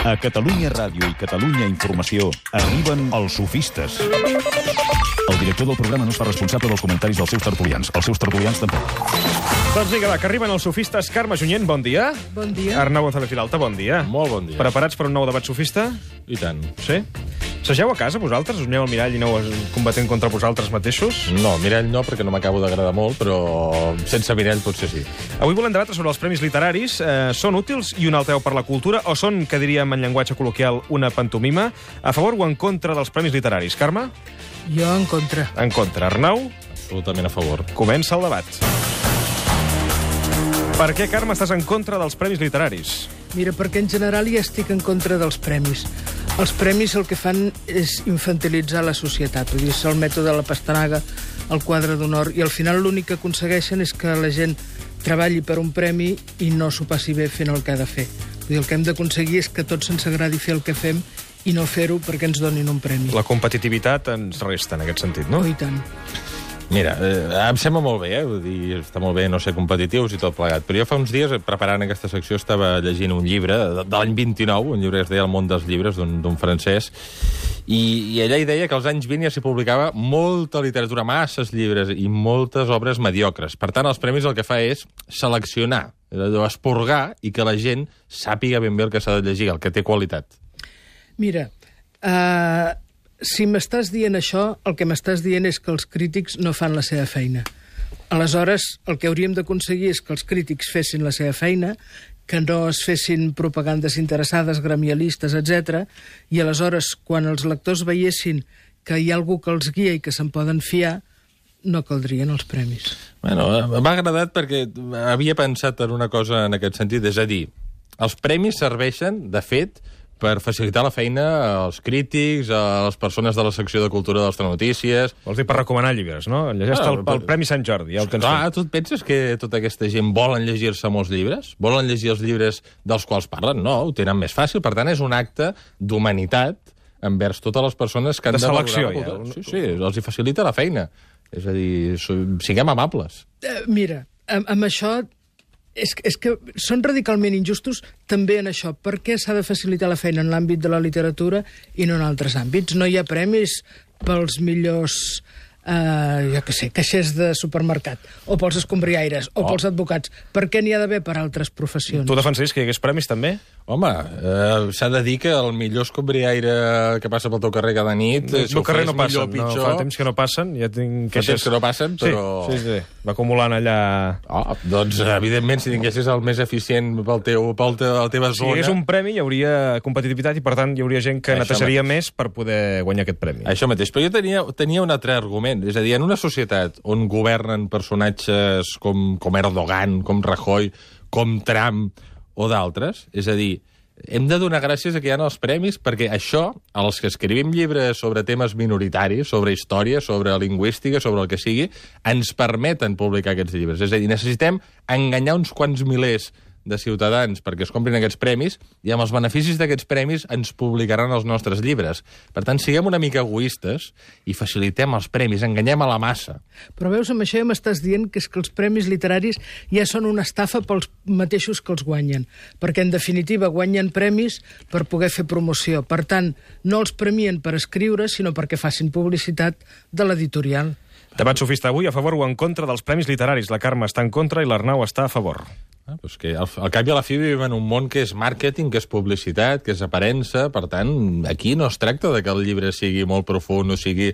A Catalunya Ràdio i Catalunya Informació arriben els sofistes. El director del programa no es fa responsable dels comentaris dels seus tertulians. Els seus tertulians tampoc. Doncs vinga, va, que arriben els sofistes. Carme Junyent, bon dia. Bon dia. Arnau González Vilalta, bon dia. Molt bon dia. Preparats per un nou debat sofista? I tant. Sí? Segeu a casa, vosaltres? Us aneu al mirall i aneu combatent contra vosaltres mateixos? No, mirall no, perquè no m'acabo d'agradar molt, però sense mirall potser sí. Avui volem debatre sobre els premis literaris. Són útils i un alteu per la cultura o són, que diríem en llenguatge col·loquial, una pantomima? A favor o en contra dels premis literaris? Carme? Jo en contra. En contra. Arnau? Absolutament a favor. Comença el debat. Per què, Carme, estàs en contra dels premis literaris? Mira, perquè en general ja estic en contra dels premis. Els premis el que fan és infantilitzar la societat. Vull dir, és el mètode de la pastanaga, el quadre d'honor, i al final l'únic que aconsegueixen és que la gent treballi per un premi i no s'ho passi bé fent el que ha de fer. Vull dir, el que hem d'aconseguir és que tots ens agradi fer el que fem i no fer-ho perquè ens donin un premi. La competitivitat ens resta en aquest sentit, no? Oh, i tant. Mira, em sembla molt bé, vull dir, està molt bé no ser competitius i tot plegat, però jo fa uns dies, preparant aquesta secció, estava llegint un llibre de l'any 29, un llibre que es deia El món dels llibres, d'un francès, i allà hi deia que als anys 20 ja s'hi publicava molta literatura, masses llibres i moltes obres mediocres. Per tant, els premis el que fa és seleccionar, esporgar, i que la gent sàpiga ben bé el que s'ha de llegir, el que té qualitat. Mira, si m'estàs dient això, el que m'estàs dient és que els crítics no fan la seva feina. Aleshores, el que hauríem d'aconseguir és que els crítics fessin la seva feina, que no es fessin propagandes interessades, gremialistes, etc. I aleshores, quan els lectors veiessin que hi ha algú que els guia i que se'n poden fiar, no caldrien els premis. Bueno, m'ha agradat perquè havia pensat en una cosa en aquest sentit, és a dir, els premis serveixen, de fet, per facilitar la feina als crítics, a les persones de la secció de cultura de les telenotícies. Vols dir per recomanar llibres, no? Llegeix el Premi Sant Jordi, ja ho tens Clar, fet. tu et penses que tota aquesta gent volen llegir-se molts llibres? Volen llegir els llibres dels quals parlen? No, ho tenen més fàcil. Per tant, és un acte d'humanitat envers totes les persones que han de selecció, valorar la ja. cultura. Sí, els hi facilita la feina. És a dir, siguem amables. Mira, amb això és que són radicalment injustos també en això. Per què s'ha de facilitar la feina en l'àmbit de la literatura i no en altres àmbits? No hi ha premis pels millors, jo què sé, caixers de supermercat, o pels escombriaires, o pels advocats. Per què n'hi ha d'haver per altres professions? Tu defensaries que hi hagués premis, també? Home, s'ha de dir que el millor escombriaire que passa pel teu carrer cada nit... El meu carrer no passen, no, fa temps que no passen, ja tinc Fa temps que no passen, però... Sí. Va acumulant allà... Doncs, evidentment, si tinguessis el més eficient per la teva Si hi zona... hagués un premi, hi hauria competitivitat i, per tant, hi hauria gent que netejaria més per poder guanyar aquest premi. Això mateix. Però jo tenia un altre argument. És a dir, en una societat on governen personatges com Erdogan, com Rajoy, com Trump o d'altres, és a dir, hem de donar gràcies a que hi ha els premis perquè això, els que escrivim llibres sobre temes minoritaris, sobre història, sobre lingüística, sobre el que sigui, ens permeten publicar aquests llibres. És a dir, necessitem enganyar uns quants milers de ciutadans perquè es comprin aquests premis i amb els beneficis d'aquests premis ens publicaran els nostres llibres. Per tant, siguem una mica egoistes i facilitem els premis, enganyem a la massa. Però veus, amb això ja m'estàs dient que és que els premis literaris ja són una estafa pels mateixos que els guanyen, perquè en definitiva guanyen premis per poder fer promoció. Per tant, no els premien per escriure, sinó perquè facin publicitat de l'editorial. Debat sofista avui a favor o en contra dels premis literaris. La Carme està en contra i l'Arnau està a favor. Doncs que al cap i a la fi vivim en un món que és màrqueting, que és publicitat, que és aparença. Per tant, aquí no es tracta de que el llibre sigui molt profund o tingui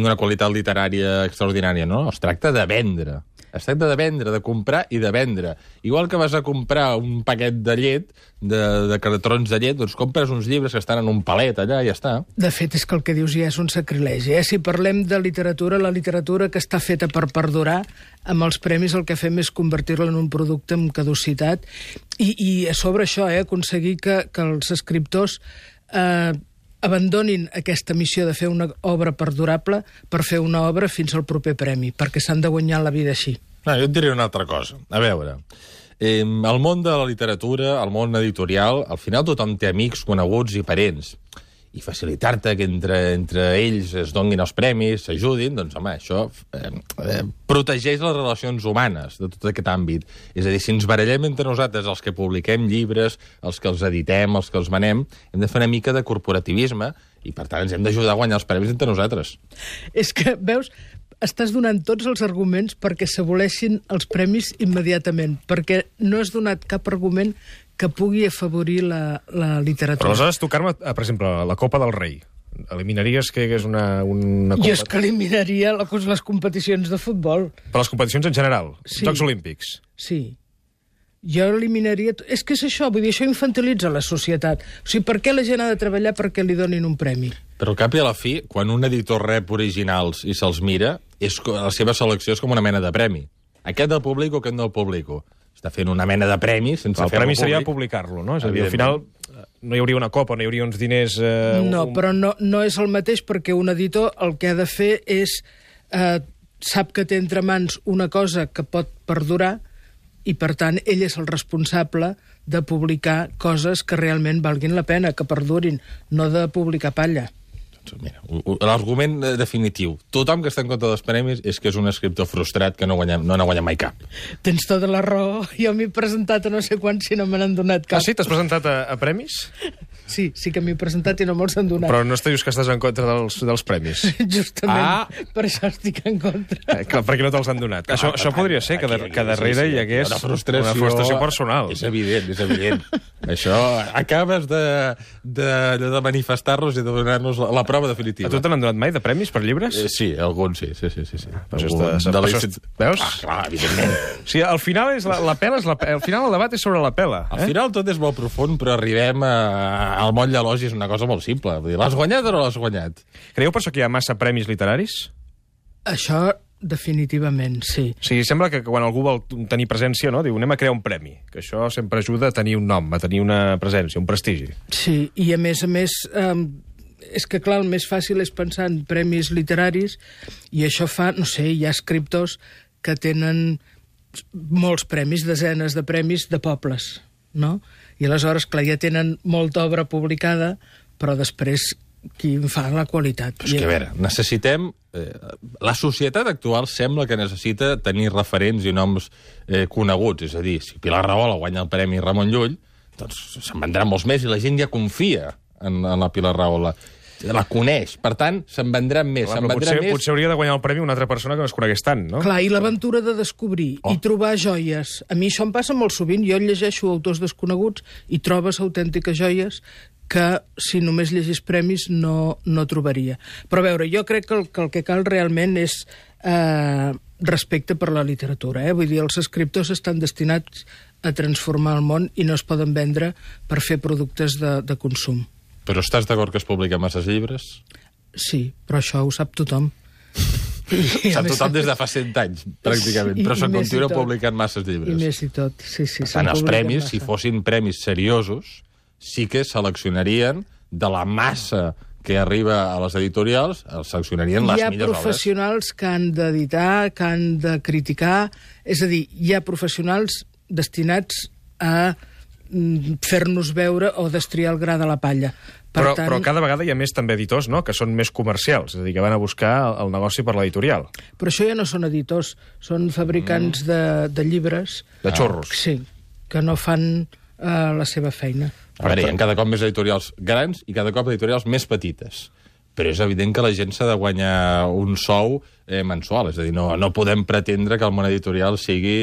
una qualitat literària extraordinària, no. Es tracta de vendre. Es tracta de vendre, de comprar i de vendre. Igual que vas a comprar un paquet de llet, de cartrons de llet, doncs compres uns llibres que estan en un palet allà i ja està. De fet, és que el que dius ja és un sacrilegi. Si parlem de literatura, la literatura que està feta per perdurar, amb els premis el que fem és convertir-la en un producte amb caducitat i a sobre això, aconseguir que els escriptors abandonin aquesta missió de fer una obra perdurable per fer una obra fins al proper premi, perquè s'han de guanyar la vida així. No, jo et diré una altra cosa. A veure, el món de la literatura, el món editorial, al final tothom té amics, coneguts i parents. i facilitar-te que entre ells es donguin els premis, s'ajudin, doncs, home, això protegeix les relacions humanes de tot aquest àmbit. És a dir, si ens barallem entre nosaltres, els que publiquem llibres, els que els editem, els que els manem, hem de fer una mica de corporativisme i, per tant, ens hem d'ajudar a guanyar els premis entre nosaltres. És que, veus, estàs donant tots els arguments perquè s'aboleixin els premis immediatament, perquè no has donat cap argument que pugui afavorir la literatura. Però aleshores tu, Carme, per exemple, la Copa del Rei, eliminaries que és una Jo és que eliminaria les competicions de futbol. Per les competicions en general, Sí. Jocs Olímpics. Sí. Jo eliminaria... És que és això, vull dir, això infantilitza la societat. O sigui, per què la gent ha de treballar perquè li donin un premi? Però al cap i a la fi, quan un editor rep originals i se'ls mira, la seva selecció és com una mena de premi. Aquest del públic o aquest del públic. Està fent una mena de premi sense fer-lo públic. El premi seria publicar-lo, no? És a dir, al final no hi hauria una copa, no hi hauria uns diners... No, però no és el mateix perquè un editor el que ha de fer és... sap que té entre mans una cosa que pot perdurar i, per tant, ell és el responsable de publicar coses que realment valguin la pena, que perdurin, no de publicar palla. Mira, l'argument definitiu. Tothom que està en contra dels premis és que és un escriptor frustrat que no n'ha guanyat mai cap. Tens tota la raó. Jo m'he presentat a no sé quants i no me n'han donat cap. Ah, sí? T'has presentat a premis? Sí que m'he presentat i no me'ls han donat. Però no dius que estàs en contra dels premis. Justament, per això estic en contra. Clar, perquè no te'ls han donat. Això podria ser, que darrere hi hagués una frustració personal. És evident, és evident. Això, acabes de manifestar-nos i de donar-nos la prova definitiva. A tu te n'han donat mai de premis per llibres? Sí, alguns sí. Veus? Clar, evidentment. O sigui, al final al final el debat és sobre la pela. Al final tot és molt profund, però arribem al moll de l'os i és una cosa molt simple. Vull dir, l'has guanyat o no l'has guanyat? Creieu per això que hi ha massa premis literaris? Això definitivament, sí. O sigui, sembla que quan algú vol tenir presència, no? Diu, anem a crear un premi, que això sempre ajuda a tenir un nom, a tenir una presència, un prestigi. Sí, i a més, és que, clar, el més fàcil és pensar en premis literaris i això fa, no sé, hi ha escriptors que tenen molts premis, desenes de premis de pobles, no? I aleshores, clar, ja tenen molta obra publicada, però després qui en fa la qualitat. És que, a veure, necessitem... la societat actual sembla que necessita tenir referents i noms coneguts. És a dir, si Pilar Rahola guanya el Premi Ramon Llull, doncs se'n vendran molts més i la gent ja confia en la Pilar Rahola. La coneix, per tant, se'n vendran més. Potser hauria de guanyar el premi una altra persona que no es conegués tant, no? Clar, i l'aventura de descobrir i trobar joies. A mi això em passa molt sovint. Jo llegeixo autors desconeguts i trobes autèntiques joies que, si només llegís premis, no trobaria. Però, a veure, jo crec que el que cal realment és respecte per la literatura. Vull dir, els escriptors estan destinats a transformar el món i no es poden vendre per fer productes de consum. Però estàs d'acord que es publiquen masses llibres? Sí, però això ho sap tothom. Sap tothom des de fa 100 anys, pràcticament, però se'n continua publicant masses llibres. I més i tot, sí. Per tant, els premis, si fossin premis seriosos, sí que seleccionarien de la massa que arriba a les editorials, seleccionarien les millors obres. Hi ha professionals que han d'editar, que han de criticar, és a dir, hi ha professionals destinats a fer-nos veure o destriar el gra de la palla. Però cada vegada hi ha més també editors, no?, que són més comercials, és a dir, que van a buscar el negoci per l'editorial. Però això ja no són editors, són fabricants de llibres. De xorros. Sí, que no fan la seva feina. A veure, hi ha cada cop més editorials grans i cada cop editorials més petites. Però és evident que la gent s'ha de guanyar un sou mensual. És a dir, no podem pretendre que el món editorial sigui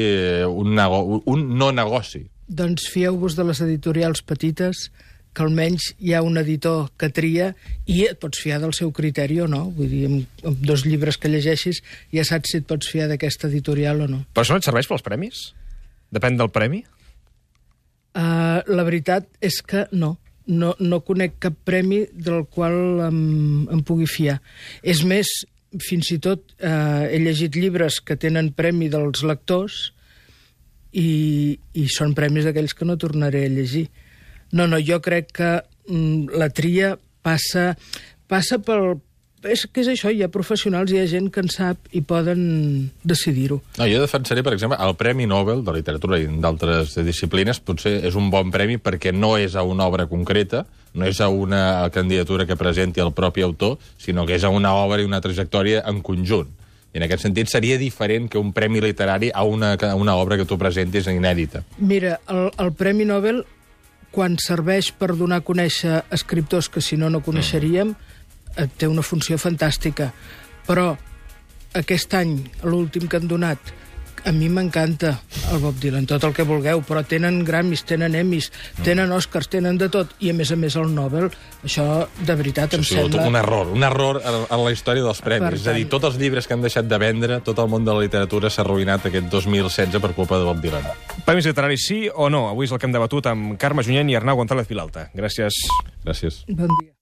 un no negoci. Doncs fieu-vos de les editorials petites, que almenys hi ha un editor que tria i et pots fiar del seu criteri o no. Vull dir, amb 2 llibres que llegeixis ja saps si et pots fiar d'aquesta editorial o no. Però això no et serveix pels premis? Depèn del premi? La veritat és que no. No conec cap premi del qual em pugui fiar. És més, fins i tot he llegit llibres que tenen premi dels lectors i són premis d'aquells que no tornaré a llegir. No, jo crec que la tria passa pel... És que és això, hi ha professionals, hi ha gent que en sap i poden decidir-ho. No, jo defensaré, per exemple, el Premi Nobel de Literatura i d'altres disciplines potser és un bon premi perquè no és a una obra concreta, no és a una candidatura que presenti el propi autor, sinó que és a una obra i una trajectòria en conjunt. I en aquest sentit seria diferent que un premi literari a una obra que tu presentis inèdita. Mira, el Premi Nobel, quan serveix per donar a conèixer escriptors que si no coneixeríem, té una funció fantàstica. Però aquest any, l'últim que han donat, a mi m'encanta el Bob Dylan, tot el que vulgueu, però tenen Grammys, tenen Emmys, tenen Oscars, tenen de tot, i a més el Nobel, això de veritat em sembla... Un error en la història dels premis. És a dir, tots els llibres que han deixat de vendre, tot el món de la literatura s'ha arruïnat aquest 2016 per culpa de Bob Dylan. Premis literaris sí o no? Avui és el que hem debatut amb Carme Junyent i Arnau González Vilalta. Gràcies. Gràcies. Bon dia.